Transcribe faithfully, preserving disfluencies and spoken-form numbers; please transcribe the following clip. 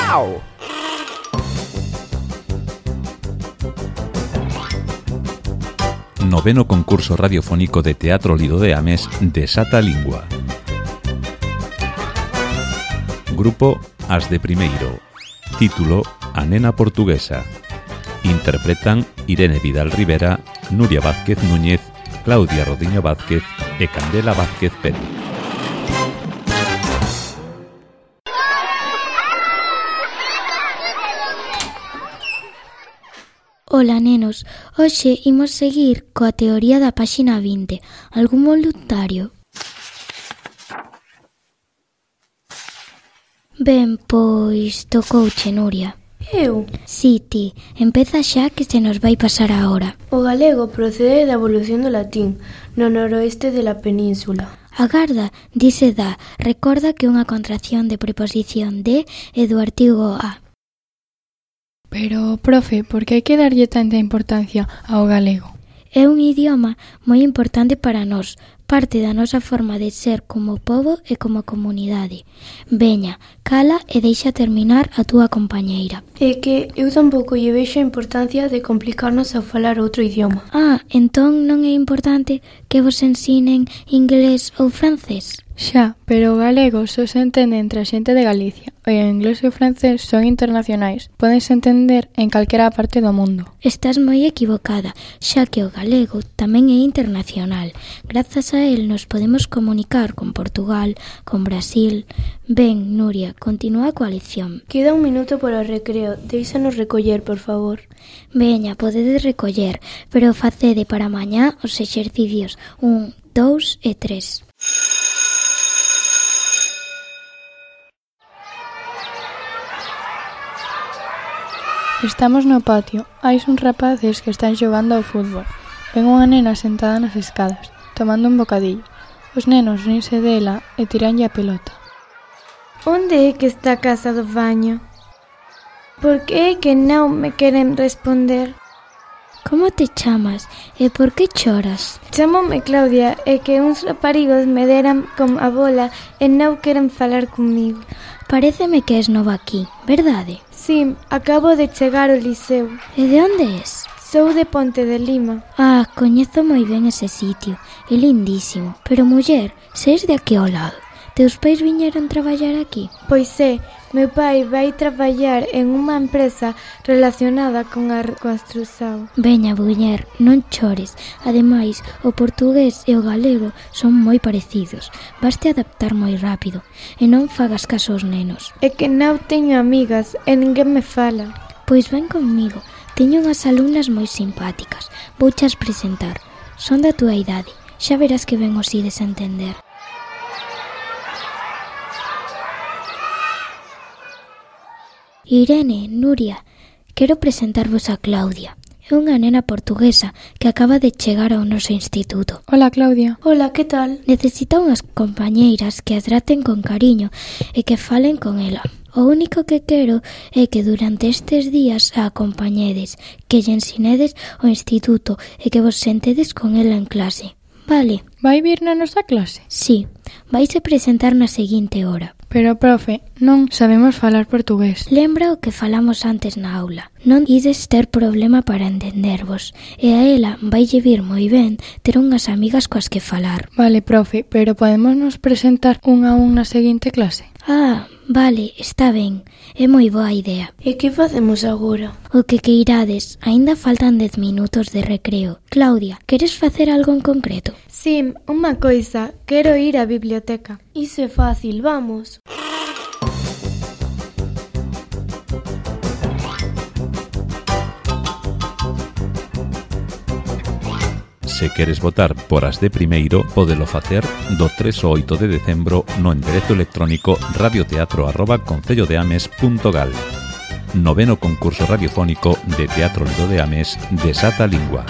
Miau. Noveno concurso radiofónico de Teatro Lido de Ames Desata a Lingua. Grupo As de Primeiro. Título A nena portuguesa. Interpretan Irene Vidal Rivera, Nuria Vázquez Núñez, Claudia Rodiño Vázquez e Candela Vázquez Pérez. Ola, nenos. Hoxe imos seguir coa teoría da páxina vinte. Algún voluntario? Ben, pois tocouche, Nuria. Eu? Si, ti. Empeza xa que se nos vai pasar a hora. O galego procede da evolución do latín no noroeste de la península. Agarda, dice da. Recorda que unha contracción de preposición de é do artigo a. Pero, profe, por que hai que darlle tanta importancia ao galego? É un idioma moi importante para nós, parte da nosa forma de ser como pobo e como comunidade. Veña, cala e deixa terminar a túa compañeira. É que eu tampouco lle vexo a importancia de complicarnos a falar outro idioma. Ah, entón non é importante que vos ensinen inglés ou francés? Xa, pero o galego só se entende entre a xente de Galicia. O inglés e o francés son internacionais. Pódense entender en calquera parte do mundo. Estás moi equivocada, xa que o galego tamén é internacional. Grazas a él nos podemos comunicar con Portugal, con Brasil. Ben, Nuria, continúa coa lección. Queda un minuto para o recreo. Deixanos recoller, por favor. Veña, podedes recoller, pero facede para mañá os exercicios un, dous e tres. Estamos no patio. Hai uns rapaces que están xogando ao fútbol. Ven unha nena sentada nas escadas, tomando un bocadillo. Os nenos rinse dela e tiranlle a pelota. Onde é que está a casa do baño? Por que é que non me queren responder? Como te chamas e por que choras? Chámome Claudia e que uns raparigos me deran con a bola e non queren falar comigo. Paréceme que és nova aquí, verdade? Sí, acabo de chegar ao liceo. E de onde és? Sou de Ponte de Lima. Ah, coñezo moi ben ese sitio, é lindísimo. Pero, muller, se és de aquí ao lado, teus pais viñeron traballar aquí? Pois é, meu pai vai traballar en unha empresa relacionada con a construción. Veña, muller, non chores. Ademais, o portugués e o galego son moi parecidos. Vaste adaptar moi rápido e non fagas caso aos nenos. É que non teño amigas e ninguén me fala. Pois ven conmigo. Teño unhas alumnas moi simpáticas. Vouchas presentar. Son da túa idade. Xa verás que ben os ides a entender. Irene, Nuria, quero presentarvos a Claudia. É unha nena portuguesa que acaba de chegar ao noso instituto. Hola, Claudia. Hola, que tal? Necesita unhas compañeiras que a traten con cariño e que falen con ela. O único que quero é que durante estes días a acompañedes, que lle ensinedes o instituto e que vos sentedes con ela en clase. Vale. Vai vir na nosa clase? Sí, vaise presentar na seguinte hora. Pero, profe, non sabemos falar portugués. Lembra o que falamos antes na aula. Non ides ter problema para entendervos. E a ela vaille vir moi ben ter unhas amigas coas que falar. Vale, profe, pero podemos nos presentar un a un na seguinte clase? Ah, vale, está ben. É moi boa idea. E que facemos agora? O que queirades. Aínda faltan dez minutos de recreo. Claudia, queres facer algo en concreto? Sí, unha coisa. Quero ir á biblioteca. Iso é fácil, vamos. Se queres votar por As de Primeiro, podelo facer do tres ao oito de decembro no enderezo electrónico radioteatro arroba concellodeames punto gal. Noveno concurso radiofónico de Teatro Lido de Ames Desata a Lingua.